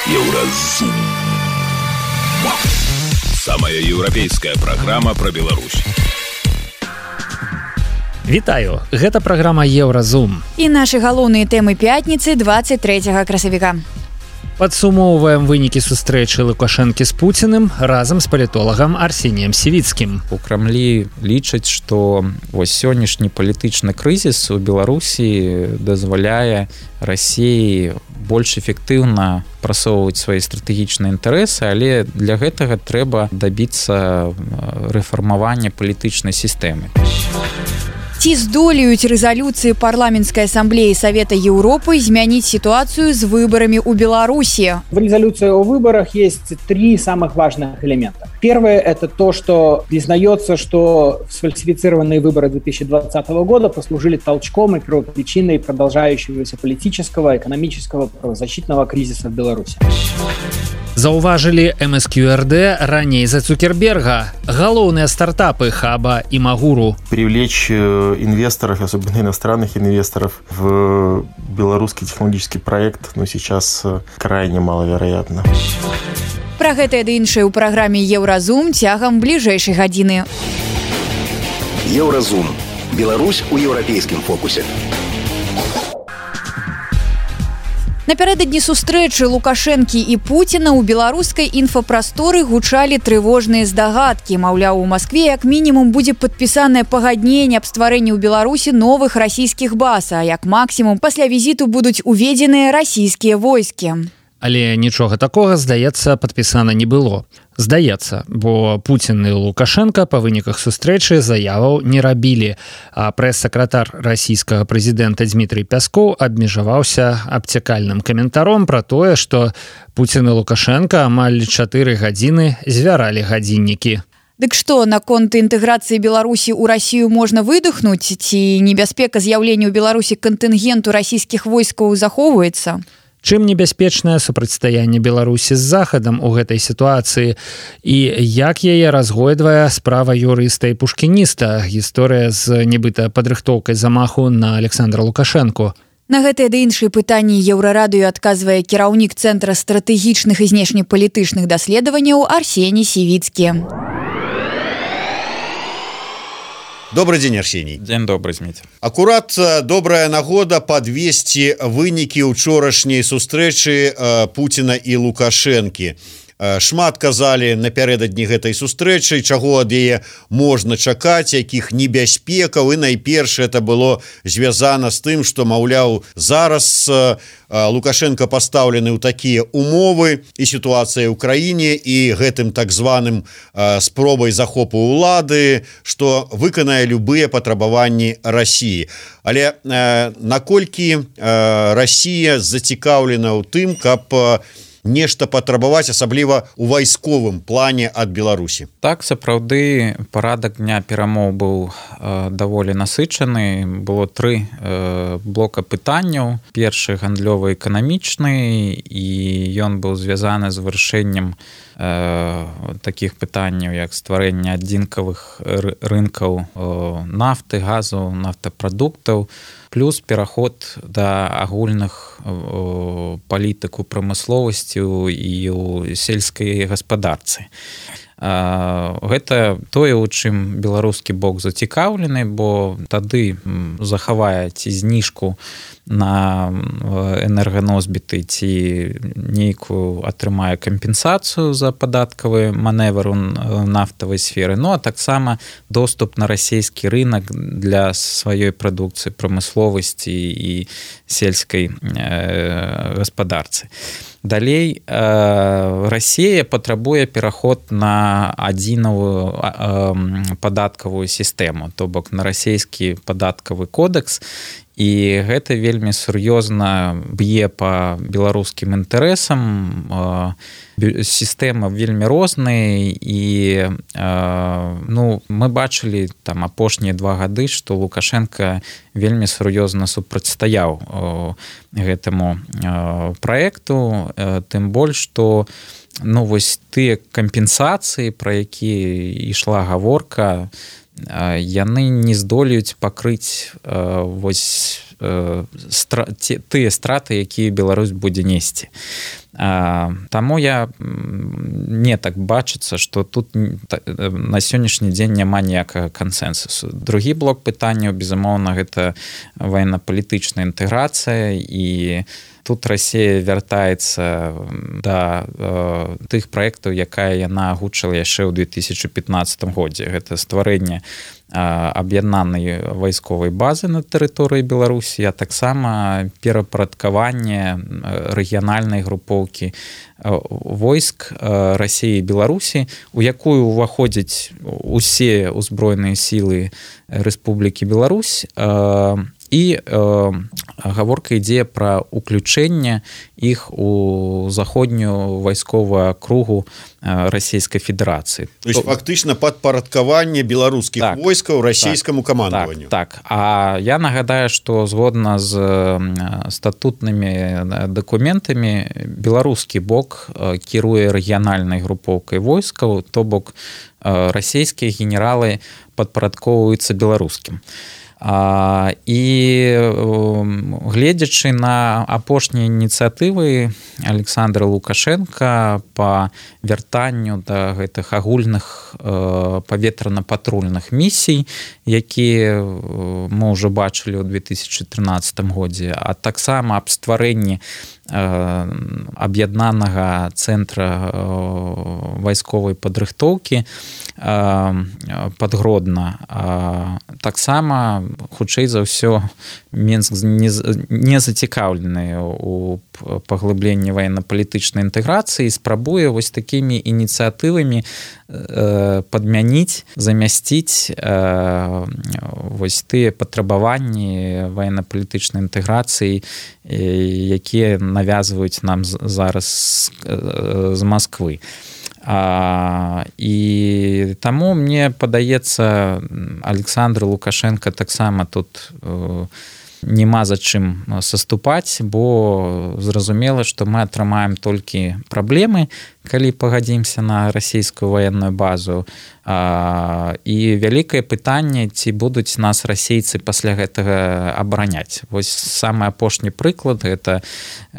Еўразум. Самая еўрапейская праграма пра Беларусь. Вітаю, гэта праграма Еўразум. І нашы галоўныя тэмы пятніцы 23 красавіка. Падсумоўваем вынікі сустрэчы Лукашэнкі з Пуціным разам з палітолагам Арсеніем Сівіцкім. У Крамлі лічаць, што сённяшні палітычны крызіс у Беларусі дазваляе Расіі больш эфектыўна прасоўваць свае стратэгічныя інтарэсы, але для гэтага трэба дабіцца рэфармавання палітычнай сістэмы. Ці здолеюць рэзалюцыі парламенцкай ассамблеі Совета Европы змяніць ситуацию с выборами у Беларуси? В резолюции о выборах есть три самых важных элемента. Первое – это то, что признается, что сфальсифицированные выборы 2020 года послужили толчком и первопричиной продолжающегося политического, экономического, правозащитного кризиса в Беларуси. Заўважылі МСКРД раней за Цукерберга. Галоўныя стартапы Хаба и Магуру. Привлечь инвесторов, особенно иностранных инвесторов, в белорусский технологический проект, сейчас крайне маловероятно. Пра гэта ды іншае ў праграме Еўразум цягам бліжэйшай гадзіны. Еўразум. Беларусь у еўрапейскім фокусе. Напярэдадні сустрэчы Лукашэнкі і Пуціна ў беларускай інфапрасторы гучалі трывожныя здагадкі. Маўляў, у Маскве як мінімум будзе падпісанае пагадненне аб стварэнні ў Беларусі новых расійскіх баз, а як максімум пасля візіту будуць уведзеныя расійскія войскі. Але нічога такога, здаецца, падпісана не было. Здаецца, бо Пуцін і Лукашенка па выніках сустрэчы заяваў не рабілі, а прэс-сакратар расійскага прэзідэнта Дмітрый Пяскоў абмежаваўся абцякальным каментаром пра тое, што Пуцін і Лукашенка амаль 4 гадзіны звяралі гадзіннікі. Дык што, наконт інтэграцыі Беларусі ў Расію можна выдохнуць? Ці небяспека з'яўлення ў Беларусі кантынгенту расійскіх войскаў захоўваецца? Чым небяспечнае супрацьстаянне Беларусі з Захадам у гэтай сітуацыі і як яе разгойдвае справа юрыста і пушкініста, гісторыя з нібыта падрыхтоўкай замаху на Александра Лукашэнку? На гэтыя ды іншыя пытанні Еўрарадыё адказвае кіраўнік Цэнтра стратэгічных і знешнепалітычных даследаванняў Арсеній Сівіцкі. Добрый день, Арсений. День добрый, Зміцер. Акурат добрая нагода падвесці вынікі ўчорашняй сустрэчы Пуціна і Лукашэнкі. Шмат казалі напярэдадні гэтай сустрэчы, чаго ад яе можна чакаць, якіх небяспекаў, і найперш это было звязана з тым, што, маўляў, зараз Лукашенко пастаўлены ў такія умовы і сітуацыя ў краіне і гэтым так званым спробай захопу ўлады, што выканае любыя патрабаванні Расіі. Але наколькі Расія зацікаўлена ў тым, каб нешта патрабаваць, асабліва ў вайсковым плане ад Беларусі? Так, сапраўды, парадак дня перамоў быў даволі насычаны. Было 3 блока пытанняў. Першы гандлёва-эканамічны, і ён быў звязаны з вырашэннем такіх пытанняў, як стварэнне адзінкавых рынкаў нафты, газу, нафтапрадуктаў, плюс пераход да агульных палітык у прамысловасці і ў сельскай гаспадарцы. Гэта тое, у чым беларускі бок зацікаўлены, бо тады захавае ці зніжку на энерганосьбіты, ці нейкую атрымае кампенсацыю за падаткавы маневр у нафтавай сферы, а таксама доступ на расійскі рынок для сваёй прадукцыі, прамысловасці і сельскай гаспадарцы. Далей, Расія патрабуе пераход на адзінавую падаткавую сістэму, то бок на расійскі падаткавы кодекс, і гэта вельмі сур'ёзна б'е па беларускім інтарэсам. Сістэма вельмі розныя, і мы бачылі там апошнія 2 гады, што Лукашенка вельмі сур'ёзна супрацьстаяў гэтаму праекту, тым больш, што тыя кампенсацыі, пра якія ішла гаворка, яны не здолеюць пакрыць тыя страты, якія Беларусь будзе несці. Таму я не так бачыцца, што тут на сённяшні дзень няма ніякага кансэнсусу. Другі блок пытанняў, безумоўна, гэта военно-палітычная інтэграцыя, і тут Расія вяртаецца да тых праектаў, якая яна агучыла яшчэ ў 2015 годзе. Гэта стварэнне аб'яднанай вайсковай базы на тэрыторыі Беларусі, а таксама перапарадкаванне рэгіянальнай групоўкі войск Расіі і Беларусі, у якую ўваходзяць усе ўзброеныя сілы Рэспублікі Беларусь, і гаворка ідзе пра ўключэнне іх у заходнюю вайсковую акругу Расійскай Федэрацыі. То есть фактычна падпарадкаванне беларускіх войскаў расійскаму камандаванню. Так. А я нагадаю, што згодна з статутнымі дакументамі беларускі бок кіруе рэгіянальнай групоўкай войскаў, то бок расійскія генералы падпарадкоўваюцца беларускім. І гледзячы на апошнія ініцыятывы Александра Лукашенка па вяртанню да гэтых агульных паветрана-патрульных місій, якія мы ўжо бачылі ў 2013 годзе, а таксама аб стварэнні аб'яднанага цэнтра вайсковай падрыхтоўкі Падгродна. Таксама, хутчэй за ўсё, Мінск не зацікаўлены ў паглыбленні военно-палітычнай інтэграцыі і спрабуе вось такімі ініцыятывамі падмяніць, замясціць вось тыя патрабаванні военно-палітычнай інтэграцыі, якія навязваюць нам зараз з Масквы. І таму мне падаецца, Александр Лукашенко таксама тут няма за чым саступаць, бо зразумела, што мы атрымаем толькі праблемы, калі пагадзімся на расійскую ваенную базу. І вялікае пытанне, ці будуць нас расейцы пасля гэтага абараняць. Вось самы апошні прыклад — гэта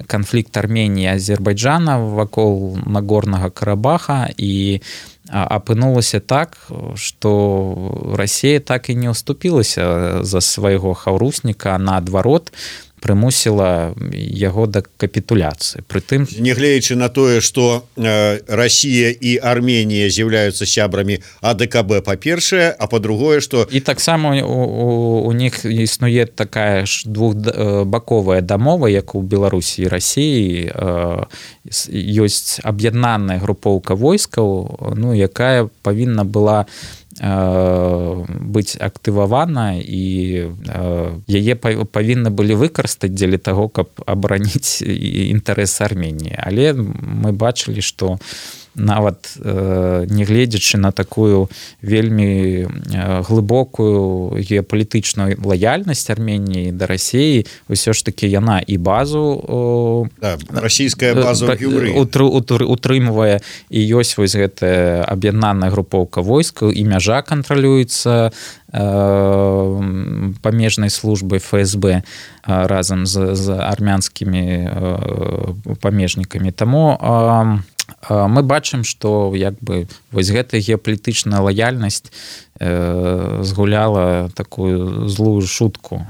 канфлікт Арменіі і Азербайджана вакол Нагорнага Карабаха, і апынулася так, што Расія так і не ўступілася за свайго хаўрусніка, а наадварот прымусіла яго да капітуляцыі. Прытым, нягледзячы на тое, што Расія і Арменія з'яўляюцца сябрамі АДКБ, па-першае, а па-другое, што і таксама у них існуе такая ж двухбаковая дамова, як у Беларусі і Расіі. Ёсць аб'яднаная групоўка войскаў, якая павінна была быць актывавана, і яе павінны былі выкарыстаць дзеля таго, каб абараніць інтарэсы Арменіі. Але мы бачылі, што нават нягледзячы на такую вельмі глыбокую геапалітычную лаяльнасць Арменіі да Расіі, ўсё ж такі яна і базу расійская база утрымвае, і ёсць вось гэтая аб'яднаная групоўка войскаў, і мяжа кантралюецца памежнай службай ФСБ разам з армянскімі памежнікамі. Таму мы бачым, што вось гэтая геапалітычная лаяльнасць згуляла такую злую шутку.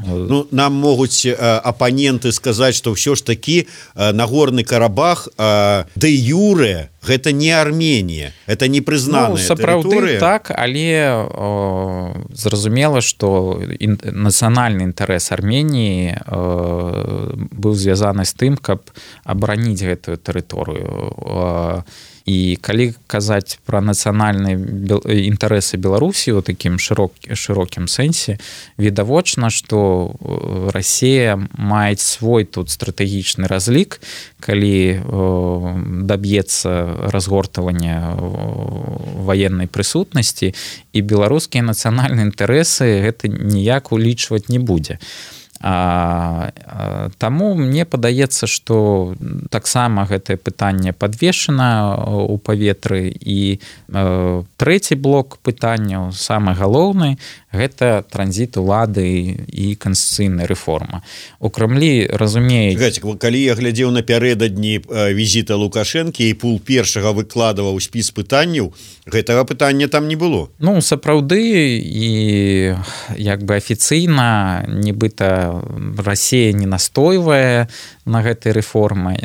Нам могуць апаненты сказаць, што ўсё ж такі Нагорны Карабах дэ юрэ гэта не Арменія, это не прызнаная сапраўды так, але зразумела, што нацыянальны інтарэс Арменіі быў звязаны з тым, каб абараніць гэтую тэрыторыю. І калі казаць пра нацыянальныя інтарэсы Беларусі ў такім шырокім сэнсе, відавочна, што Расія мае свой тут стратэгічны разлік, калі даб'ецца разгортавання ваеннай прысутнасці, і беларускія нацыянальныя інтарэсы гэта ніяк улічваць не будзе. Таму мне падаецца, што таксама гэтае пытанне падвешана ў паветры. І трэці блок пытанняў, самы галоўны, гэта транзіт улады і канстытуцыйная рэформа. У Крамлі разумеюць... Калі я глядзеў напярэдадні візіта Лукашэнкі і пул першага выкладаваў спіс пытанняў, гэтага пытання там не было. Ну, сапраўды, і як бы афіцыйна, нібыта Расія не настойвае на гэтай рэформы,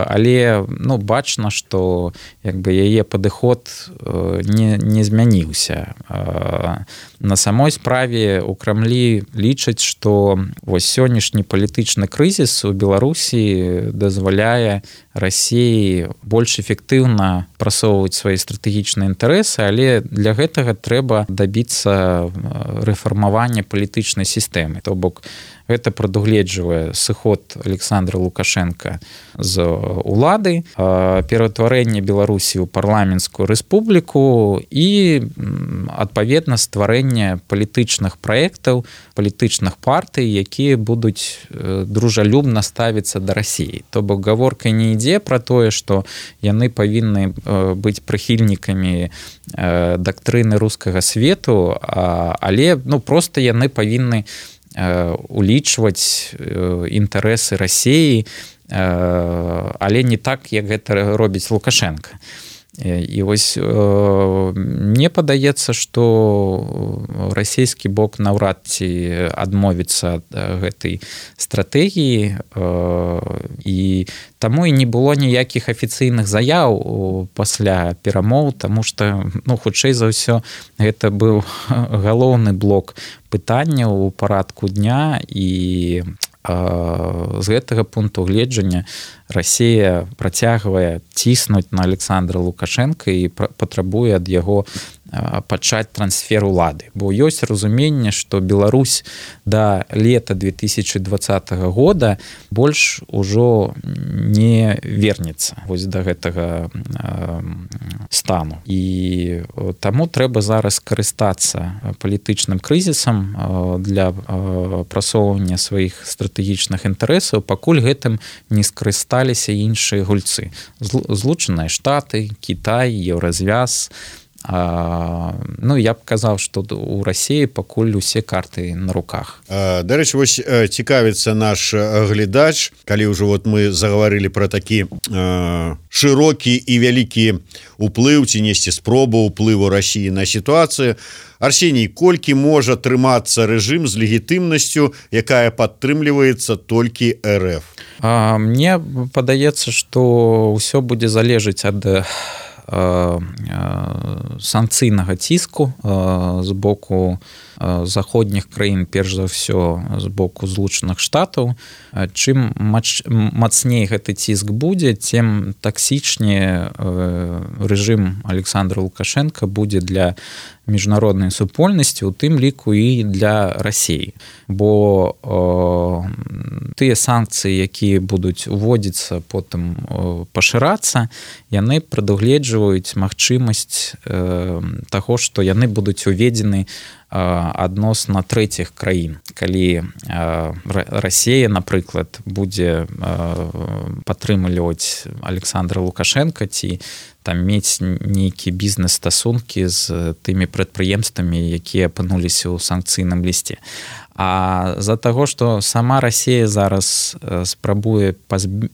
але ну, бачна, што як бы яе падыход не змяніўся. На самой справе у Крамлі лічаць, што вось сённяшні палітычны крызіс у Беларусі дазваляе Расіі больш эфектыўна прасоўваць свае стратэгічныя інтарэсы, але для гэтага трэба дабіцца рэфармавання палітычнай сістэмы. То бок гэта прадугледжвае сыход Александра Лукашенка з улады, пераўтварэнне Беларусі ў парламенцкую рэспубліку і адпаведна стварэнне палітычных праектаў, палітычных партый, якія будуць дружалюбна ставіцца да Расіі. То бок гаворка не ідзе пра тое, што яны павінны быць прыхільнікамі дактрыны рускага свету, але ну, проста яны павінны улічваць інтарэсы Расіі, але не так, як гэта робіць Лукашенка. І вось мне падаецца, што расійскі бок наўрад ці адмовіцца ад гэтай стратэгіі, і таму і не было ніякіх афіцыйных заяў пасля перамоў, таму што ну, хутчэй за ўсё гэта быў галоўны блок пытанняў у парадку дня, і з гэтага пункту гледжання Расія працягвае ціснуць на Александра Лукашенка і патрабуе ад яго пачаць трансфер улады. Бо ёсць разуменне, што Беларусь да лета 2020 года больш ужо не вернецца вось да гэтага стану. І таму трэба зараз карыстацца палітычным крызісам для прасоўвання сваіх стратэгічных інтарэсаў, пакуль гэтым не скарысталіся іншыя гульцы. Злучаныя Штаты, Кітай, Еўразвяз. Ну, я б казаў, што у Расіі пакуль усе карты на руках. Дарэчы, вось цікавіцца наш глядач, калі ўжо вот мы загаварылі пра такі шырокі і вялікі уплыў ці несці спробу ўплыву Расіі на сітуацыю. Арсеній, колькі можа трымацца рэжым з легітымнасцю, якая падтрымліваецца толькі РФ? Мне падаецца, што ўсё будзе залежыць ад санкцыйнага ціску з боку заходніх краін, перш за ўсё з боку Злучаных Штатаў. Чым мацней гэты ціск будзе, тым таксічней рэжым Александра Лукашенка будзе для міжнароднай супольнасці, у тым ліку і для Расіі. Бо тыя санкцыі, якія будуць уводзіцца, потым пашырацца, яны прадугледжваюць магчымасць таго, што яны будуць уведзены адносна трэціх краін. Калі Расія, напрыклад, будзе падтрымліваць Александра Лукашенка ці там мець нейкі бізнес-стасункі з тымі прадпрыемствамі, якія апынуліся ў санкцыйным лісце. А з-за таго, што сама Расія зараз спрабуе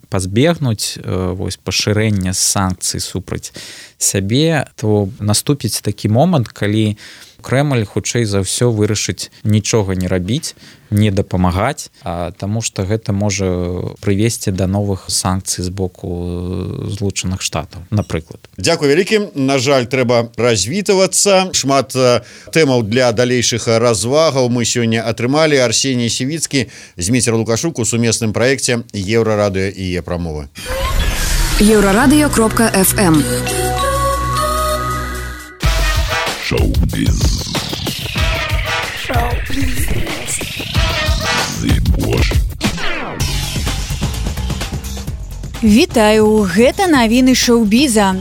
пазбегнуць вось пашырэння санкцый супраць сябе, то наступіць такі момант, калі Крэмль хутчэй за ўсё вырашыць нічога не рабіць, не дапамагаць, таму што гэта можа прывесці да новых санкцый з боку Злучаных Штатаў, напрыклад. Дзякуй вялікім. На жаль, трэба развітвацца. Шмат тэмаў для далейшых развагаў мы сёння атрымалі. Арсеній Сівіцкі, Зміцер Лукашук у сумесным праекце Еўрарадыё і Е-прамовы. Еўрарадыё.фм Шоу-біз. Вітаю, гэта навіны шоу-біза.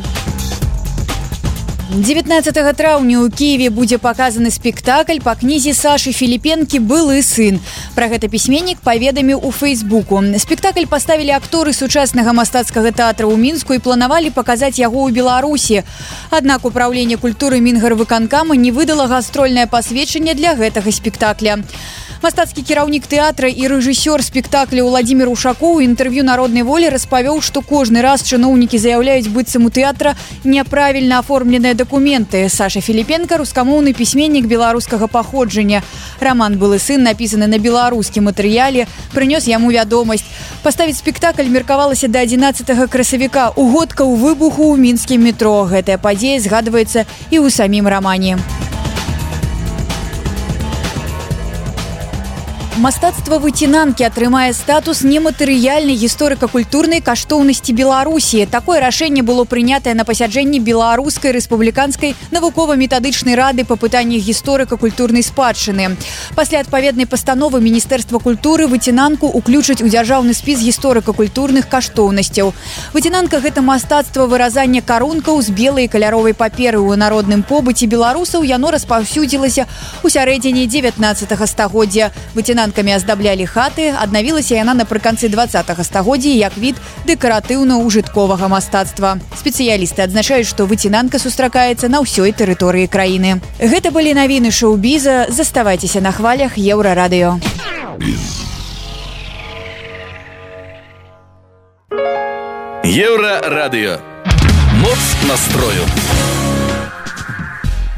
19 траўня ў Киеве будзе паказаны спектакль па кнізе Сашы Філіпенкі «Былы сын». Пра гэта пісьменнік паведаміў у Фейсбуку. Спектакль паставілі акторы сучаснага мастацкага тэатра ў Мінску і планавалі паказаць яго ў Беларусі. Аднак управленне культуры Мінгарвыканкама не выдала гастрольнае пасведчанне для гэтага спектакля. Мастацкі кіраўнік тэатра і рэжысёр спектакля Владзімір Ушакоў у інтэрв'ю «Народнай волі» распавёў, што кожны раз чыноўнікі заяўляюць быццам у тэатра няправільна аформленыя дакументы. Саша Філіпенка – рускамоўны пісьменнік беларускага паходжання. Раман «Былы сын», напісаны на беларускім матэрыяле, прынёс яму вядомасць. Паставіць спектакль меркавалася да 11 красавіка, у годкаў выбуху ў мінскім метро. Гэтая падзея згадваецца і ў самім рамане. Мастацтва выцінанкі атрымае статус нематэрыяльнай гісторыка-культурнай каштоўнасці Беларусі. Такое рашэнне было прынятае на пасяджэнні Беларускай рэспубліканскай навукова-метадычнай рады па пытаннях гісторыка-культурнай спадчыны. Пасля адпаведнай пастановы Міністэрства культуры выцінанку ўключаць у дзяржаўны спіс гісторыка-культурных каштоўнасцяў. Выцінанка – гэта мастацтва выразання карункаў з белай каляровай паперы. У народным побыце беларусаў яно распаўсюдзілася ў сярэдзіне 19 стагоддзя. Выцінанкамі аздаблялі хаты, аднавілася яна напрыканцы 20 стагоддзя як від дэкаратыўна-ўжытковага мастацтва. Спецыялісты адзначаюць, што выцінанка сустракаецца на ўсёй тэрыторыі краіны. Гэта былі навіны шоу-біза. Заставайцеся на хвалях Еўрарадыё. Еўрарадыё. Моц настрою.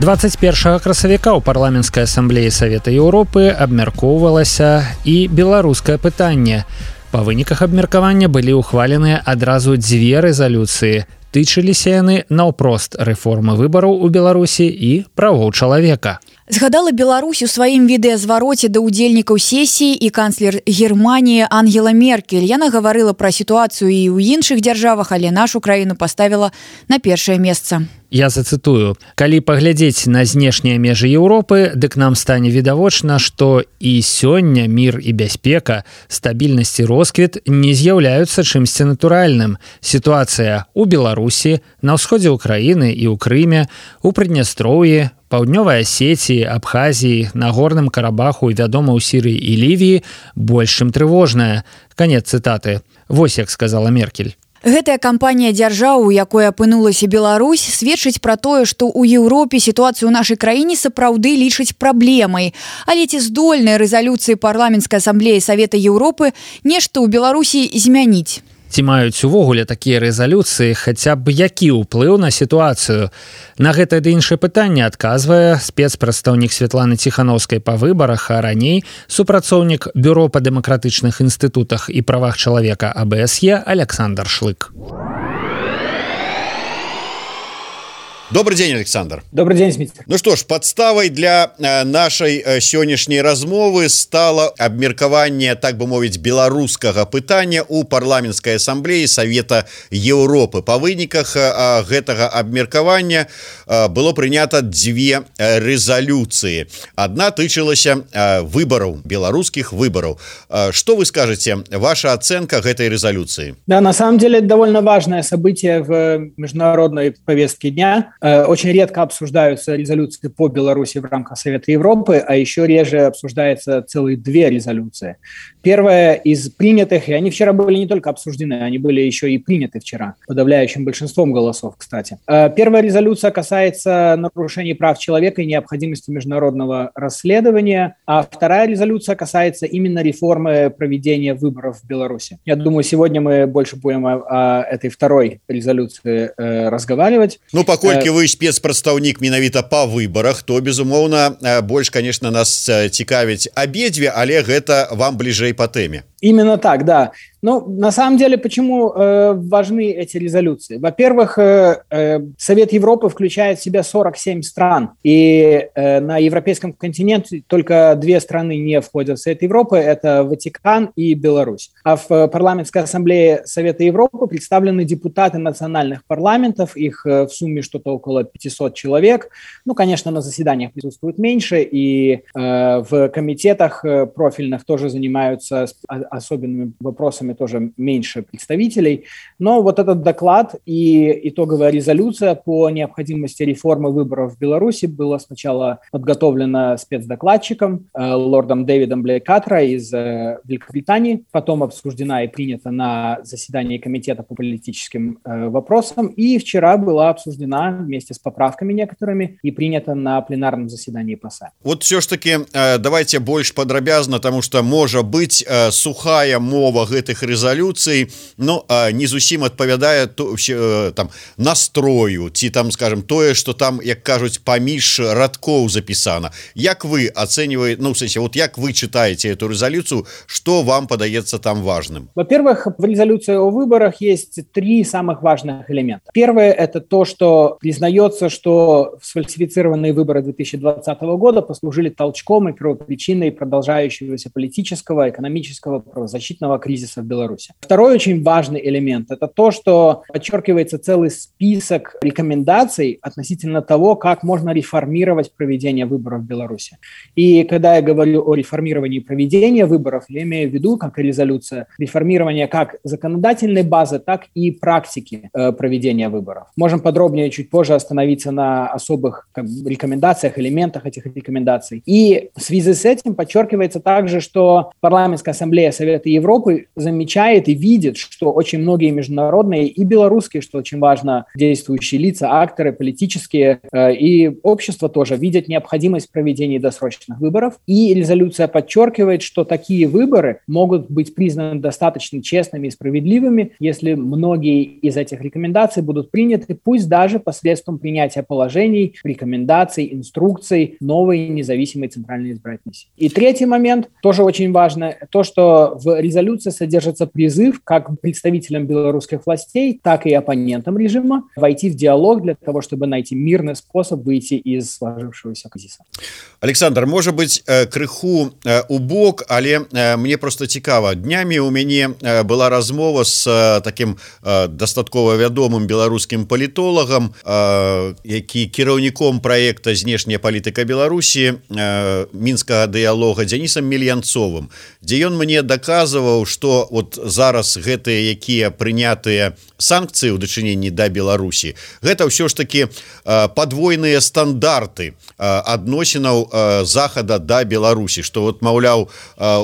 21 красавіка ў парламенцкай асамблеі Савета Еўропы абмяркоўвалася і беларускае пытанне. Па выніках абмеркавання былі ўхваленыя адразу дзве рэзалюцыі. Тычыліся яны наўпрост рэформы выбараў у Беларусі і правоў чалавека. Згадала Беларусь у сваім відэазвароце да ўдзельнікаў сесіі і канцлер Германіі Ангела Меркель. Яна гаварыла пра сітуацыю і ў іншых дзяржавах, але нашу краіну паставіла на першае месца. Я зацытую: «Калі паглядзець на знешнія межы Еўропы, дык нам стане відавочна, што і сёння мір і бяспека, стабільнасць і росквіт не з'яўляюцца чымсьці натуральным. Сітуацыя ў Беларусі, на ўсходзе ўкраіны і ў Крыме, у Прыднястроўі, Паўднёвай Асетіі, Абхазіі, на Горным Карабаху і, вядома, у Сірыі і Лівіі больш чым трывожная». Канец цытаты. Вось як сказала Меркель. Гэтая кампанія дзяржаў, у якой апынулася Беларусь, сведчыць пра тое, што ў Еўропе сітуацыю ў нашай краіне сапраўды лічаць праблемай. Але ці здольныя рэзалюцыі парламенцкай асамблеі Савета Еўропы нешта ў Беларусі змяніць? Ці маюць увогуле такія рэзалюцыі хаця б які ўплыў на сітуацыю? На гэтае ды іншае пытанне адказвае спецпрадстаўнік Святланы Ціханаўскай па выбарах, а раней супрацоўнік Бюро па дэмакратычных інстытутах і правах чалавека АБСЕ Александр Шлык. Добрый день, Александр. Добрый день, Смитер. Ну что ж, подставой для нашей сённяшняй размовы стало абмеркаванне, так бы мовіць, беларускага пытання у парламенцкай асамблеі Савета Еўропы. Па выніках гэтага абмеркавання было прынята дзве рэзалюцыі. Адна тычылася выбараў, беларускіх выбараў. Что вы скажете, ваша оценка гэтай резолюции? Да, на самом деле это довольно важное событие в международной повестке дня. Очень редко обсуждаются резолюции по Беларуси в рамках Совета Европы, а еще реже обсуждаются целые две резолюции. Первая из принятых, и они вчера были не только обсуждены, они были еще и приняты вчера, подавляющим большинством голосов, кстати. Первая резолюция касается нарушений прав человека и необходимости международного расследования, а вторая резолюция касается именно реформы проведения выборов в Беларуси. Я думаю, сегодня мы больше будем о этой второй резолюции разговаривать. Ну, паколькі вы спецпрадстаўнік менавіта па выбарах, то, безумоўна, больш, конечно, нас цікавіць абедзве, але гэта вам бліжэй по теме. Именно так, да. Ну, на самом деле, почему важны эти резолюции? Во-первых, Совет Европы включает в себя 47 стран, и на европейском континенте только две страны не входят в Совет Европы, это Ватикан и Беларусь. А в парламентской ассамблее Совета Европы представлены депутаты национальных парламентов, их в сумме что-то около 500 человек. Ну, конечно, на заседаниях присутствует меньше, и в комитетах профильных тоже занимаются особенными вопросами белорусами тоже меньше представителей. Но вот этот доклад и итоговая резолюция по необходимости реформы выборов в Беларуси была сначала подготовлена спецдокладчиком лордом Дэвидом Блейкатра из Великобритании, потом обсуждена и принята на заседании комитета по политическим вопросам, и вчера была обсуждена вместе с поправками некоторыми и принята на пленарном заседании ПАСА. Вот все ж таки давайте больш падрабязна, потому что можа быць сухая мова гэтых рэзалюцый, но не зусім адпавядае там настрою ці там, скажем, тое, что там, як кажуць, паміж радкоў запісана. Як вы оцениваете, ну, в смысле, вот як вы читаете эту резолюцию, что вам подается там важным? Во-первых, в резолюции о выборах есть три самых важных элемента. Первое – это то, что признается, что сфальсифицированные выборы 2020 года послужили толчком и первопричиной продолжающегося политического, экономического, правозащитного кризиса в Беларуси. Второй очень важный элемент – это то, что подчеркивается целый список рекомендаций относительно того, как можно реформировать проведение выборов в Беларуси. И когда я говорю о реформировании проведения выборов, я имею в виду, как и резолюция, реформирование как законодательной базы, так и практики проведения выборов. Можем подробнее чуть позже остановиться на особых рекомендациях, элементах этих рекомендаций. И в связи с этим подчеркивается также, что Парламентская ассамблея Совета Европы замечает и видит, что очень многие международные и белорусские, что очень важно, действующие лица, акторы, политические и общество тоже видят необходимость проведения досрочных выборов. И резолюция подчеркивает, что такие выборы могут быть признаны достаточно честными и справедливыми, если многие из этих рекомендаций будут приняты, пусть даже посредством принятия положений, рекомендаций, инструкций новой независимой Центральной избирательной комиссии. И третий момент, тоже очень важно, то, что в резолюции содержится призыв как представителям белорусских властей, так и оппонентам режима войти в диалог для того, чтобы найти мирный способ выйти из сложившегося кризиса. Александр, может быть, крыху у бок, але мне просто цікава. Днямі у мяне была размова с таким дастаткова вядомым беларускім палітолагам, які кіраўніком праекта «Знешняя палітыка Беларусі» мінскага дыялога Дзянісам Мельянцовым, дзе ён мне даказваў, што вот зараз гэтыя, якія прынятыя санкцыі ў дачыненні да Беларусі, гэта ўсё ж такі падвойныя стандарты адносінаў захада да Беларусі, што вот, маўляў,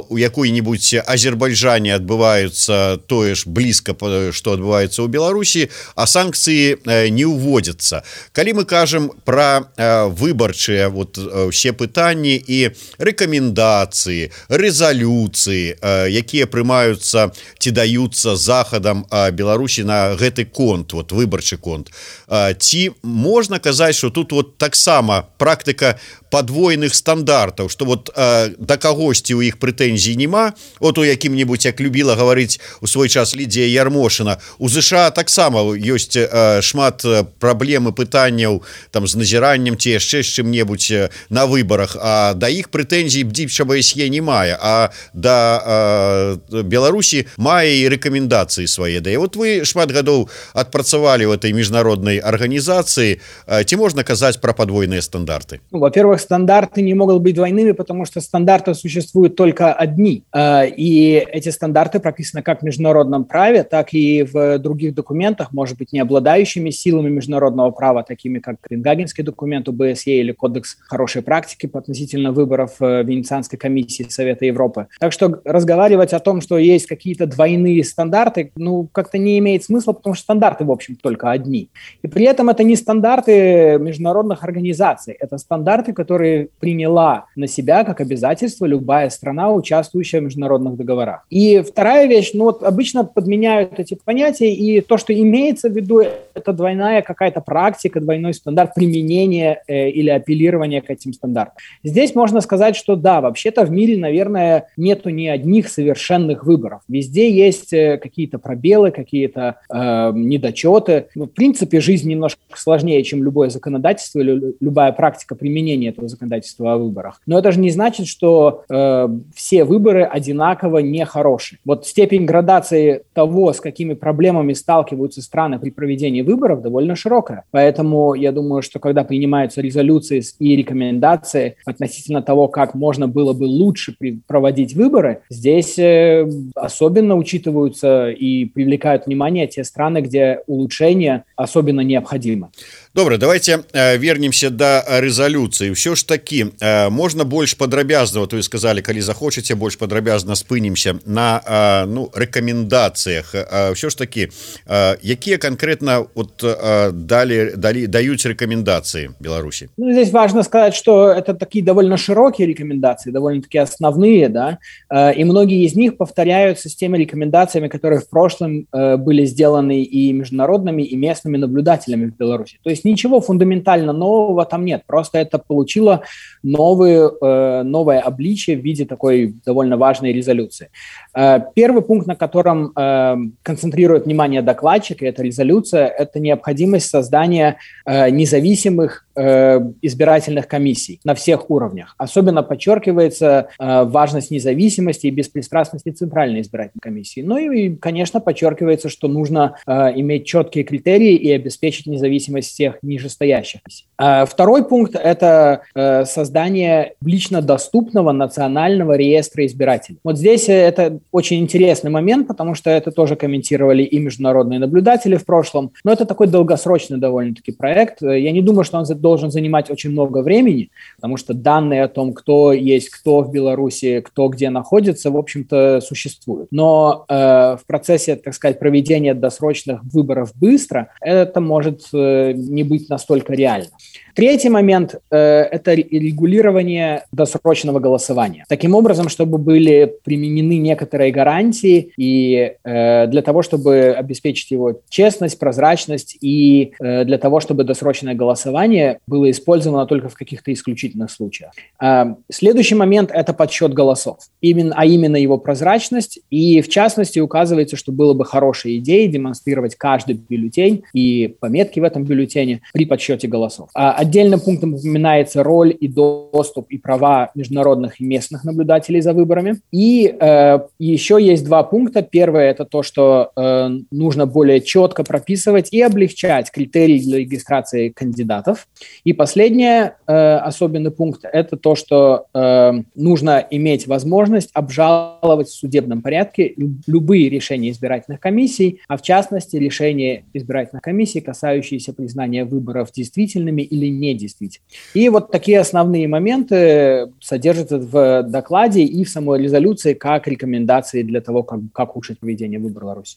у якой-нибудь Азербайджане адбываюцца тое ж блізка, што адбываецца ў Беларусі, а санкцыі не ўводзяцца. Калі мы кажам пра выбарчыя вот усе пытанні і рэкамендацыі, рэзалюцыі, якія прымаюцца ці даюцца захадам Беларусі на гэты конт, вот выбарчы конт, ці можна казаць, што тут вот таксама практыка подвойных стандартаў, што вот да кагосьці ў іх прэтэнзій нема. Вот у якім-нибудь, як любіла гаварыць у свой час Лідія Ярмошына, у ЗША таксама ёсць шмат праблем і пытанняў там з назіраннем ці яшчэ з чым-небудзь на выбарах, а да іх прэтэнзій бдзіча БСЕ не мае, а да Беларусі мае і рэкамендацыі свае. Да і вот вы шмат гадоў адпрацавалі в этой міжнароднай арганізацыі, ці можна казаць пра падвойныя стандарты? Во-первых, стандарты не могут быть двойными, потому что стандарты существуют только одни. И эти стандарты прописаны как в международном праве, так и в других документах, может быть, не обладающими силами международного права, такими как Копенгагенский документ ОБСЕ или Кодекс хорошей практики относительно выборов Венецианской комиссии Совета Европы. Так что разговаривать о том, что есть какие-то двойные стандарты, ну, как-то не имеет смысла, потому что стандарты, в общем, только одни. И при этом это не стандарты международных организаций, это стандарты, которые приняла на себя как обязательство любая страна, участвующая в международных договорах. И вторая вещь, ну вот обычно подменяют эти понятия, и то, что имеется в виду, это двойная какая-то практика, двойной стандарт применения или апеллирования к этим стандартам. Здесь можно сказать, что да, вообще-то в мире, наверное, нету ни одних совершенных выборов. Везде есть какие-то пробелы, какие-то недочеты. Ну, в принципе, жизнь немножко сложнее, чем любое законодательство или любая практика применения этого законодательства о выборах. Но это же не значит, что все выборы одинаково нехорошие. Вот степень градации того, с какими проблемами сталкиваются страны при проведении выборов, довольно широкая. Поэтому я думаю, что когда принимаются резолюции и рекомендации относительно того, как можно было бы лучше проводить выборы, здесь особенно учитываются и привлекают внимание те страны, где улучшение особенно необходимо. Добра, давайте вернемся до рэзалюцыі. Ўсё ж такі можна больш падрабязна, вот вы сказали, калі захочаце, больш падрабязна спынемся на рэкамендацыях. Ўсё ж такі, якія конкретно вот даюць рэкамендацыі Беларусі? Ну, здесь важно сказать, что это такие довольно широкие рекомендации, довольно-таки основные, да, и многие из них повторяются с теми рекомендациями, которые в прошлом были сделаны и международными, и местными наблюдателями в Беларуси. То есть ничего фундаментально нового там нет, просто это получило новое обличие в виде такой довольно важной резолюции. Первый пункт, на котором концентрирует внимание докладчик, и эта резолюция, это необходимость создания независимых избирательных комиссий на всех уровнях. Особенно подчеркивается важность независимости и беспристрастности Центральной избирательной комиссии. Ну и, конечно, подчеркивается, что нужно иметь четкие критерии и обеспечить независимость всех нижестоящих. Второй пункт – это создание лично доступного национального реестра избирателей. Вот здесь это очень интересный момент, потому что это тоже комментировали и международные наблюдатели в прошлом, но это такой долгосрочный довольно-таки проект. Я не думаю, что он должен занимать очень много времени, потому что данные о том, кто есть кто в Беларуси, кто где находится, в общем-то, существуют. Но в процессе, так сказать, проведения досрочных выборов быстро, это может не быть настолько реально. Третий момент – это регулирование досрочного голосования. Таким образом, чтобы были применены некоторые гарантии и для того, чтобы обеспечить его честность, прозрачность и для того, чтобы досрочное голосование было использовано только в каких-то исключительных случаях. Следующий момент – это подсчет голосов, именно его прозрачность. И в частности указывается, что было бы хорошей идеей демонстрировать каждый бюллетень и пометки в этом бюллетене при подсчете голосов. Отдельным пунктом упоминается роль и доступ и права международных и местных наблюдателей за выборами. И еще есть два пункта. Первое – это то, что нужно более четко прописывать и облегчать критерии для регистрации кандидатов. И последний особенный пункт – это то, что нужно иметь возможность обжаловать в судебном порядке любые решения избирательных комиссий, а в частности решения избирательных комиссий, касающиеся признания выборов действительными или недействительными. И вот такие основные моменты содержатся в докладе и в самой резолюции как рекомендации для того, как улучшить проведение выборов в Беларуси.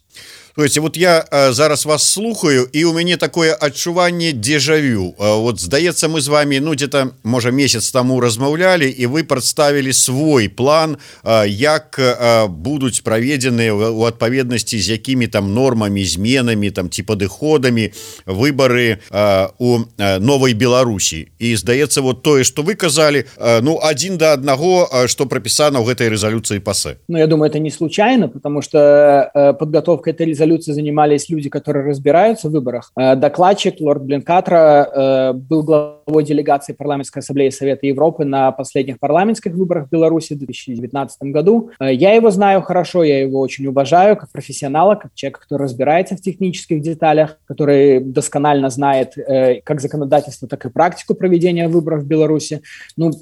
То есть вот я зараз вас слухаю, и у меня такое адчуванне дежавю. Вот, здаецца, мы с вами, где-то, может, месяц тому размаўлялі, и вы представили свой план, як будут проведены у адпаведнасці з якімі там нормами, зменами, там, ці падыходамі выборы у новой Беларусі. І здаецца, вот тое, что вы казали, один до одного, что прописано в этой резолюции ПАСЕ. Я думаю, это не случайно, потому что подготовкой этой резолюции занимались люди, которые разбираются в выборах. Докладчик лорд Бленкатра был главой делегации парламентской ассамблеи Совета Европы на последних парламентских выборах в Беларуси в 2019 году. Я его знаю хорошо, я его очень уважаю как профессионала, как человека, который разбирается в технических деталях, который досконально знает как законодательство, так и практику проведения выборов в Беларуси.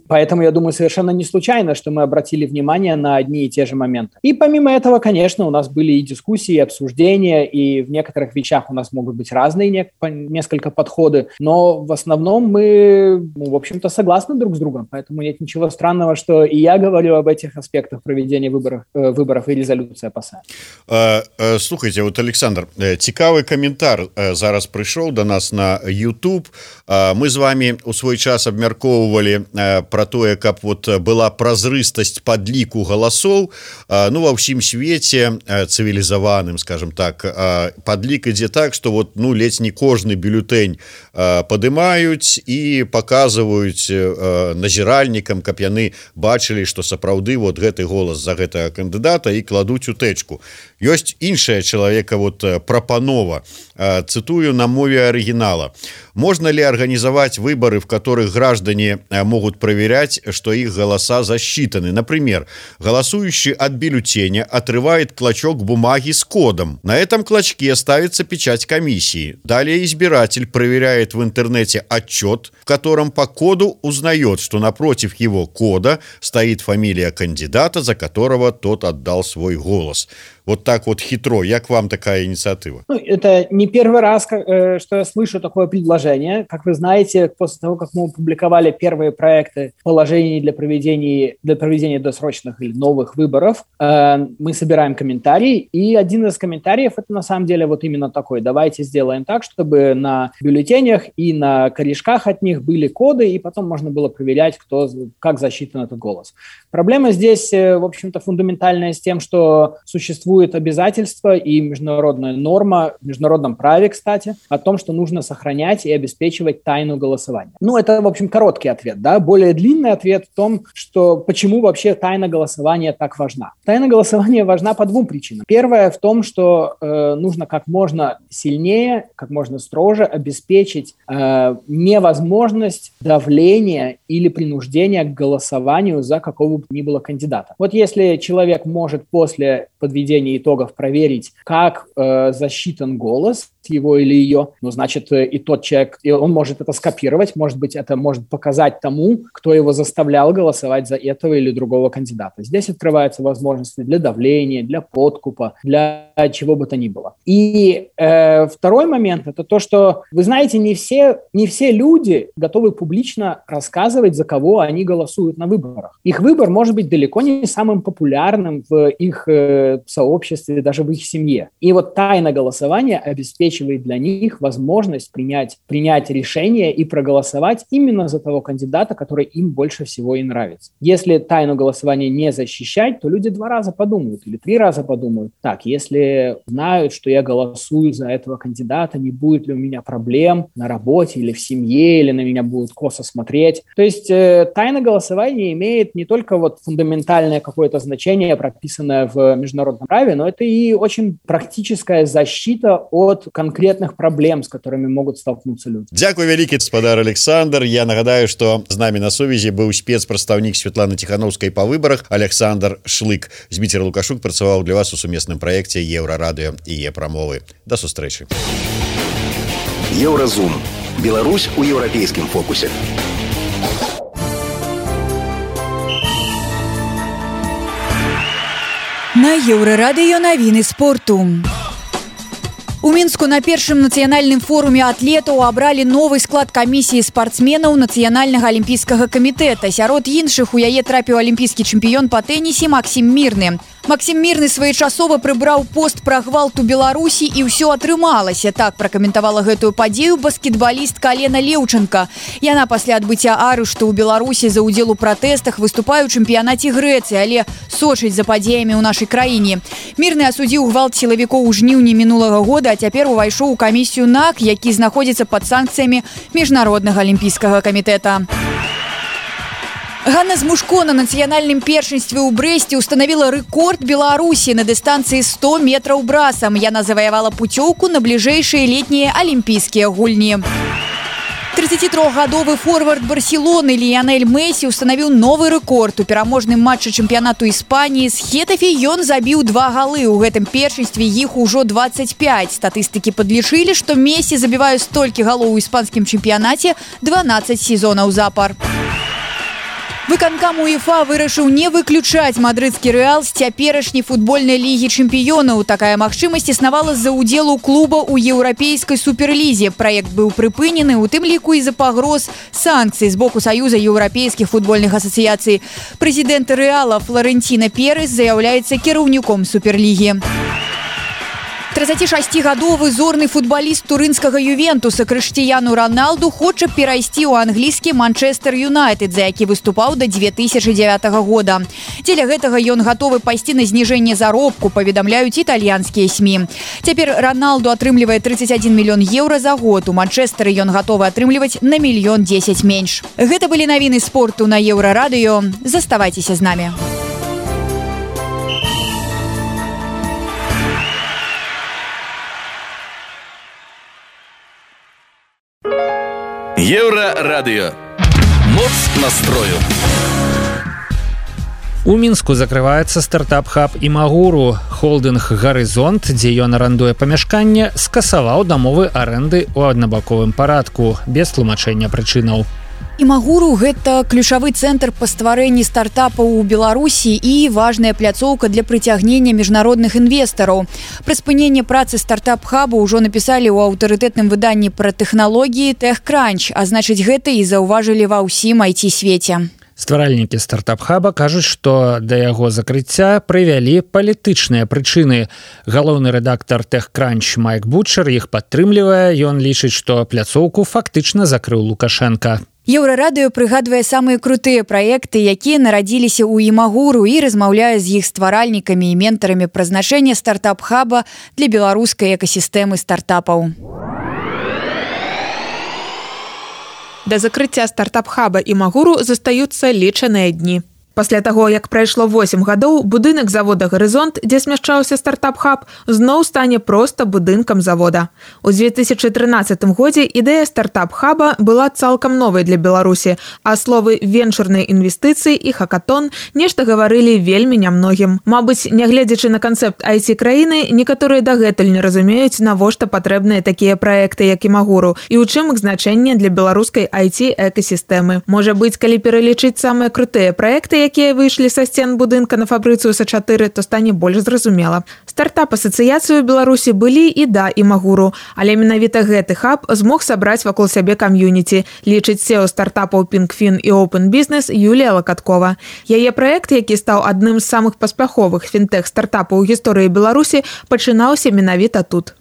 Поэтому, я думаю, совершенно не случайно, что мы обратили внимание на одни и те же моменты. И помимо этого, конечно, у нас были и дискуссии, и обсуждения, и в некоторых вещах у нас могут быть разные несколько подходы, но в основном мы, в общем-то, согласны друг с другом, поэтому нет ничего странного, что и я говорю об этих аспектах проведения выборов и резолюция ПАСЕ. Слухайте, вот, Александр, цікавый комментар зараз пришел до нас на YouTube. Мы с вами у свой час абмяркоўвалі про тое, каб вот была празрыстасць падліку галасоў. Ва ўсім свеце цывілізаваным, скажем так, падлік ідзе так, что вот ледзь не кожны бюлетень падымаюць і показваюць назіральнікам, каб яны бачылі, что сапраўды вот гэты голас за гэтага кандыдата і кладуць у тэчку. Ёсць іншая чалавека вот прапанова, цитую на мове оригинала: можно ли организовать выборы, в которых граждане могут проверять, что их голоса засчитаны? Например, голосующий от бюллетеня отрывает клочок бумаги с кодом. На этом клочке ставится печать комиссии. Далее избиратель проверяет в интернете отчет, в котором по коду узнает, что напротив его кода стоит фамилия кандидата, за которого тот отдал свой голос. Вот так вот хитро. Як вам такая инициатива? Ну, это не первый раз, что я слышу такое предложение. Как вы знаете, после того, как мы опубликовали первые проекты положений для проведения досрочных или новых выборов, мы собираем комментарии, и один из комментариев это на самом деле вот именно такой. Давайте сделаем так, чтобы на бюллетенях и на корешках от них были коды, и потом можно было проверять, как засчитан этот голос. Проблема здесь, в общем-то, фундаментальная с тем, что существует обязательство и международная норма, в международном праве, кстати, о том, что нужно сохранять и обеспечивать тайну голосования. Ну, это, в общем, короткий ответ, да. Более длинный ответ в том, что почему вообще тайна голосования так важна. Тайна голосования важна по двум причинам. Первая в том, что нужно как можно сильнее, как можно строже обеспечить невозможность давления или принуждения к голосованию за какого бы ни было кандидата. Вот если человек может после подведения итогов проверить, как засчитан голос его или ее, ну, значит, и тот человек, и он может это скопировать, может быть, это может показать тому, кто его заставлял голосовать за этого или другого кандидата. Здесь открываются возможности для давления, для подкупа, для чего бы то ни было. И второй момент – это то, что, вы знаете, не все люди готовы публично рассказывать, за кого они голосуют на выборах. Их выбор может быть далеко не самым популярным в их сообществе, даже в их семье. И вот тайна голосования обеспечивает для них возможность принять решение и проголосовать именно за того кандидата, который им больше всего и нравится. Если тайну голосования не защищать, то люди 2 раза подумают или 3 раза подумают. Так, если знают, что я голосую за этого кандидата, не будет ли у меня проблем на работе или в семье, или на меня будут косо смотреть. То есть тайна голосования имеет не только вот фундаментальное какое-то значение, прописанное в международном праве, но это и очень практическая защита от конкретных проблем, с которыми могут столкнуться люди. Дякую вялікі, гаспадар Александр. Я нагадаю, что з намі на сувязі быў спецпрадстаўнік Светланы Тихановскай па выбарах Александр Шлык. Зміцер Лукашук працаваў для вас у сумесным праекце Еўрарадыё і Е-прамовы. Да сустрэчы. Еўразум. Беларусь у еўрапейскім фокусе. На Еўрарадыё навіны спорту. У Мінску на першым нацыянальным форуме атлетаў абралі новы склад камісіі спартсменаў нацыянальнага алімпійскага камітэта. Сярод іншых у яе трапіў алімпійскі чэмпіён па тэнісе Максім Мірны. Максім Мірны своечасова прыбраў пост пра гвалт у Беларусі і ўсё атрымалася. Так пракаментавала гэтую падзею баскетбалістка Алена Леўченка. Яна пасля адбыцця арышту ў Беларусі за ўдзел у пратэстах выступае ў чэмпіянаце Грэцыі, але сочыць за падзеямі ў нашай краіне. Мірны асудзіў гвалт сілавікоў у жніўні мінулага года, а цяпер увайшоў у камісію НАК, які знаходзіцца пад санкцыямі міжнароднага алімпійскага камітэта. Ганна Змушко на нацыянальным першынстве ў Брэсце установила рэкорд Беларусі на дыстанцыі 100 метраў брасам. Яна заваявала пуцёўку на бліжэйшыя летнія алімпійскія гульні. 33-гадовы форвард Барселоны Ліянель Месі установіў новы рэкорд. У пераможным матчы чэмпіянату Іспаніі з Хетафе ён забіў 2 галы. У гэтым першынстве іх ужо 25. Статыстыкі падлічылі, што Месі забівае столькі галоў у іспанскім чэмпіянаце 12 сезонаў запар. Выканкам УЕФА вырашыў не выключаць мадрыдскі Рэал з цяперашняй футбольнай лігі чэмпіёнаў. Такая магчымасць існавала з-за ўдзелу клуба ў еўрапейскай суперлізе. Праект быў прыпынены, у тым ліку і за пагроз санкцый з боку Саюза еўрапейскіх футбольных асацыяцый. Прэзідэнт Рэала Флорэнціна Перес з'яўляецца кіраўніком суперлігі. 36-гадовы зорны футбаліст турынскага Ювентуса Крыштіяну Роналду хоча перайсці ў англійскі Манчестер Юнайтед, за які выступаў да 2009 года. Дзеля гэтага ён гатовы пайсці на зніжэнне заробку, паведамляюць італьянскія СМІ. Цяпер Роналду атрымлівае 31 мільён еўра за год. У Манчестэры ён гатовы атрымліваць на 1 010 000 менш. Гэта былі навіны спорту на Еўрарадыё. Заставайцеся з намі. Еўрарадыё. Моц настрою. У Мінску закрываецца стартап-хаб Імагуру. Холдынг «Гарызонт», дзе ён арандуе памяшканне, скасаваў дамовы арэнды ў аднабаковым парадку, без тлумачэння прычынаў. Імагуру – гэта ключавы цэнтр па стварэнні стартапаў у Беларусі і важная пляцоўка для прыцягнення міжнародных інвестараў. Пра спыненне працы стартап-хабу ўжо напісалі ў аўтарытэтным выданні пра тэхналогіі TechCrunch, а значыць гэта і заўважылі ва ўсім IT-свеце. Стваральнікі стартап-хаба кажуць, што да яго закрыцця прывялі палітычныя прычыны. Галоўны рэдактар TechCrunch Майк Бутчер іх падтрымлівае. Ён лічыць, што пляцоўку фактычна закрыў Лукашенка. Еўрарадыё прыгадвае самыя крутыя праекты, якія нарадзіліся ў Імагуру, і размаўляе з іх стваральнікамі і ментарамі пра значэнне стартап-хаба для беларускай экасістэмы стартапаў. Да закрыцця стартап-хаба Імагуру застаюцца лічаныя дні. Пасля таго, як прайшло 8 гадоў, будынак завода «Гарызонт», дзе змяшчаўся стартап-хаб, зноў стане проста будынкам завода. У 2013 годзе ідэя стартап-хаба была цалкам новай для Беларусі, а словы «венчурныя інвестыцыі» і «хакатон» нешта гаварылі вельмі нямногім. Мабыць, нягледзячы на канцэпт IT-краіны, некаторыя дагэтуль не разумеюць, навошта патрэбныя такія праекты, як Імагуру, і ў чым іх значэнне для беларускай IT-экасістэмы. Можа быць, калі пералічыць самыя крутыя праекты, якія выйшлі са сцен будынка на фабрыцыю Са-4, то стане больш зразумела. Стартап-асацыяцыі ў Беларусі былі і да Імагуру, але менавіта гэты хаб змог сабраць вакол сябе кам'юніці, лічыць SEO стартапаў Pinkfin і Open Business Юлія Лакаткова. Яе праект, які стаў адным з самых паспяховых фінтэк-стартапаў у гісторыі Беларусі, пачынаўся менавіта тут.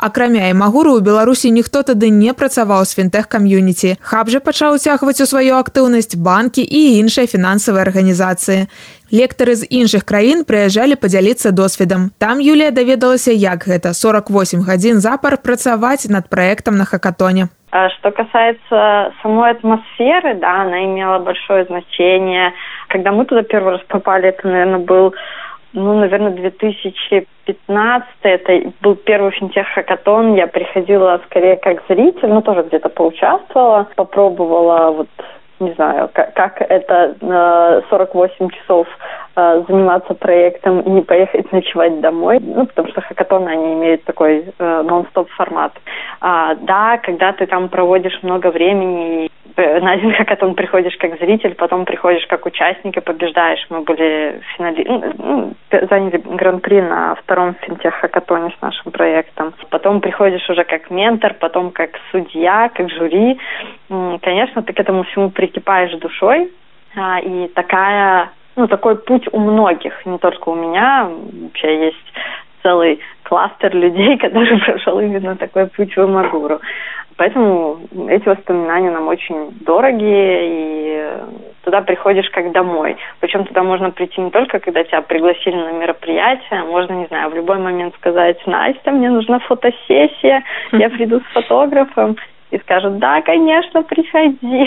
Акрамя Імагуру, у Беларусі ніхто тады не працаваў з фінтэх-кам'юніці. Хаб жа пачаў уцягваць у сваю актыўнасць банкі і іншыя фінансавыя арганізацыі. Лектары з іншых краін прыязджалі падзяліцца досведам. Там Юлія даведалася, як гэта 48 гадзін запар працаваць над праектам на хакатоне. Что касается самой атмосферы, да, она имела большое значение. Когда мы туда первый раз попали, это, наверное, был... наверное, 2015, это был первый финтех-хакатон, я приходила скорее как зритель, тоже где-то поучаствовала, попробовала, не знаю, как это 48 часов заниматься проектом и не поехать ночевать домой, потому что хакатоны, они имеют такой нон-стоп формат. Да, когда ты там проводишь много времени, на один хакатон приходишь как зритель, потом приходишь как участник и побеждаешь. Мы были заняли гран-при на втором финтех-хакатоне с нашим проектом. Потом приходишь уже как ментор, потом как судья, как жюри. Конечно, ты к этому всему прикипаешь душой. И такой путь у многих, не только у меня. Вообще есть целый кластер людей, который прошел именно такой путь в Імагуру. Поэтому эти воспоминания нам очень дорогие, и туда приходишь как домой. Причем туда можно прийти не только, когда тебя пригласили на мероприятие, можно, не знаю, в любой момент сказать: Настя, мне нужна фотосессия, я приду с фотографом, и скажут: да, конечно, приходи.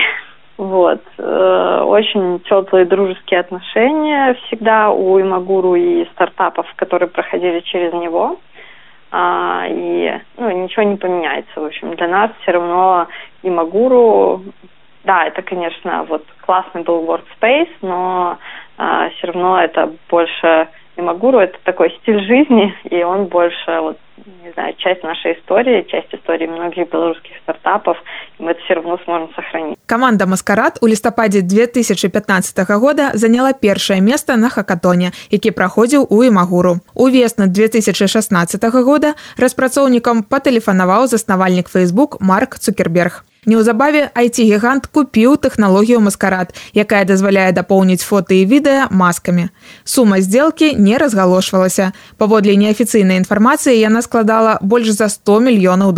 Очень теплые дружеские отношения всегда у Імагуру и стартапов, которые проходили через него. И ничего не поменяется. В общем, для нас все равно Імагуру, да, это, конечно, классный был workspace, но все равно это больше Імагуру, это такой стиль жизни, и он больше, не знаю, часть нашей истории, часть истории многих белорусских стартапов, и мы это все равно сможем сохранить. Каманда «Маскарад» у лістападзе 2015 года заняла першае месца на хакатоне, які праходзіў у Імагуру. Увесну 2016 года распрацоўнікам патэлефанаваў заснавальнік Facebook Марк Цукерберг. Неўзабаве IT-гігант купіў тэхналогію «Маскарад», якая дазваляе дапоўніць фота і відэа маскамі. Сума здзелкі не разгалошвалася. Паводле неафіцыйнай інфармацыі яна складала больш за $100 мільёнаў.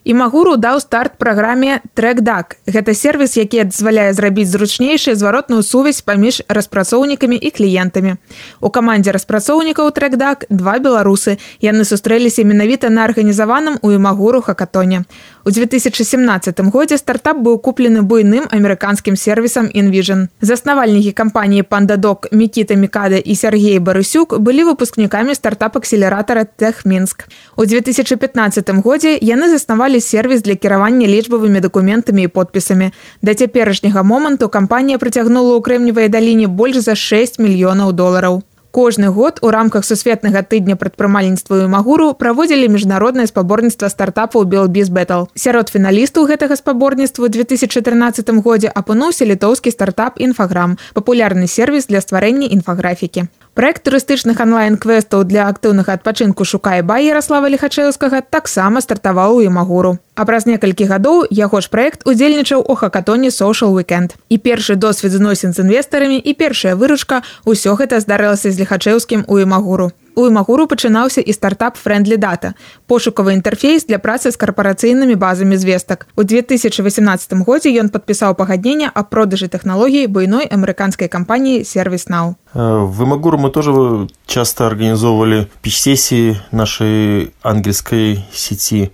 Імагуру даў старт праграме TrackDuck. Гэта сервіс, які дазваляе зрабіць зручнейшую зваротную сувязь паміж распрацоўнікамі і кліентамі. У камандзе распрацоўнікаў TrackDuck 2 беларусы. Яны сустрэліся менавіта на арганізаваным у Імагуру хакатоне. У 2017 годзе стартап быў куплены буйным амерыканскім сервісам InVision. Заснавальнікі кампаніі PandaDoc Мікіта Мікада і Сергей Барысюк былі выпускнікамі стартап-акселератара TechMinsk. У 2015 годзе яны заснавалі заснавалі сервіс для кіравання лічбавымі дакументамі і подпісамі. Да цяперашняга моманту кампанія прыцягнула ў Крэмневай даліне больш за $6 мільёнаў. Кожны год у рамках сусветнага тыдня прадпрымальніцтва ў Імагуру праводзілі міжнароднае спаборніцтва стартапаў Белбіз Бэтл. Сярод фіналістаў гэтага спаборніцтва ў 2014 годзе апынуўся літоўскі стартап Інфаграм, папулярны сервіс для стварэння інфаграфікі. Праект турыстычных онлайн-квестаў для актыўнага адпачынку «Шукай бай» Яраслава Лихачэўскага таксама стартаваў у Імагуру. А праз некалькі гадоў яго ж праект удзельнічаў у хакатоне Social Weekend. І першы досвед зносін з інвестарамі, і першая выручка – усё гэта здарылася з Лихачэўскім у Імагуру. У Імагуру пачынаўся і стартап Friendly Data – пошукавы інтэрфейс для працы з карпарацыйнымі базамі звестак. У 2018 годзе ён падпісаў пагадненне аб продажы тэхналогій буйной амерыканскай кампаніі ServiceNow. В Имагуру мы тоже часто организовывали пич-сессии нашей ангельской сети,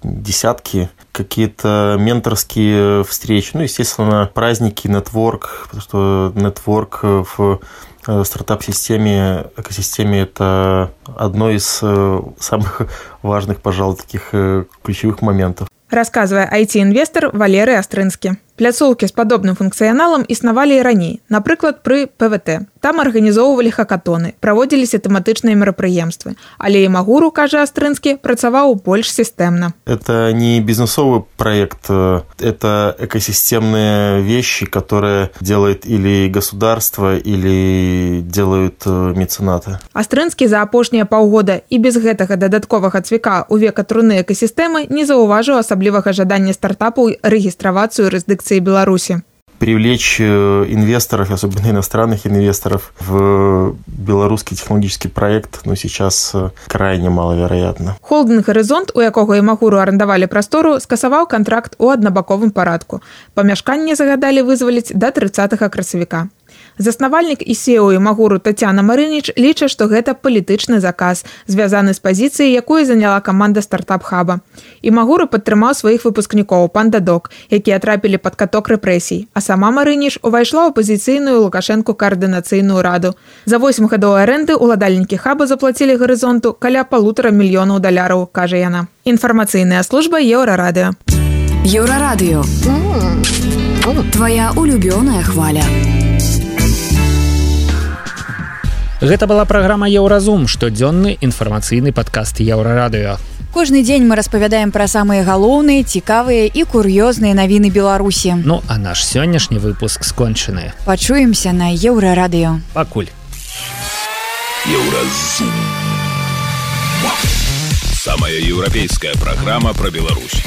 десятки, какие-то менторские встречи, естественно, праздники, нетворк, потому что нетворк в стартап-системе, экосистеме – это одно из самых важных, пожалуй, таких ключевых моментов. Рассказывае IT-інвестор Валерый Астрынскі. Пляцоўкі з падобным функцыяналам існавалі і раней, напрыклад, пры ПВТ. Там арганізоўвалі хакатоны, праводзіліся тэматычныя мерапрыемствы. Але Імагуру, кажа Астрынскі, працаваў больш сістэмна. Это не бизнесовый проект, это экосистемные вещи, которые делает или государство, или делают меценаты. Астрынскі за апошнія паўгода і без гэтага дадатковага цвіка ў века труны экасістэмы не заўважыў асаблівага жадання стартапаў рэгістравацыю юрысдыкцыі Беларуси. Привлечь инвесторов, особенно иностранных инвесторов, в белорусский технологический проект, сейчас крайне маловероятно. Холдинг «Горизонт», у якога Імагуру арендавалі прастору, скасаваў контракт у аднабаковым парадку. Памяшканне загадалі вызваліць да 30 красавіка. Заснавальнік і CEO Імагуру Тацяна Марыніч лічыць, што гэта палітычны заказ, звязаны з пазіцыяй, якую заняла каманда стартап-хаба. Імагуру падтрымаў сваіх выпускнікоў «Пандадок», якія трапілі пад каток рэпрэсій, а сама Марыніч увайшла ў апазіцыйную Лукашэнку каардынацыйную раду. За 8 гадоў арэнды ўладальнікі хаба заплацілі «Горызонту» каля $1,5 мільёна, кажа яна. Інфармацыйная служба Еўрарадыё. Еўрарадыё. Твоя улюбёная хваля. Гэта была праграма «Еўразум», штодзённы інфармацыйны падкаст Еўрарадыё. Кожны дзень мы распавядаем пра самыя галоўныя, цікавыя і кур'ёзныя навіны Беларусі. А наш сённяшні выпуск скончаны. Пачуемся на Еўрарадыё. Пакуль. Еўразум. Самая еўрапейская праграма пра Беларусь.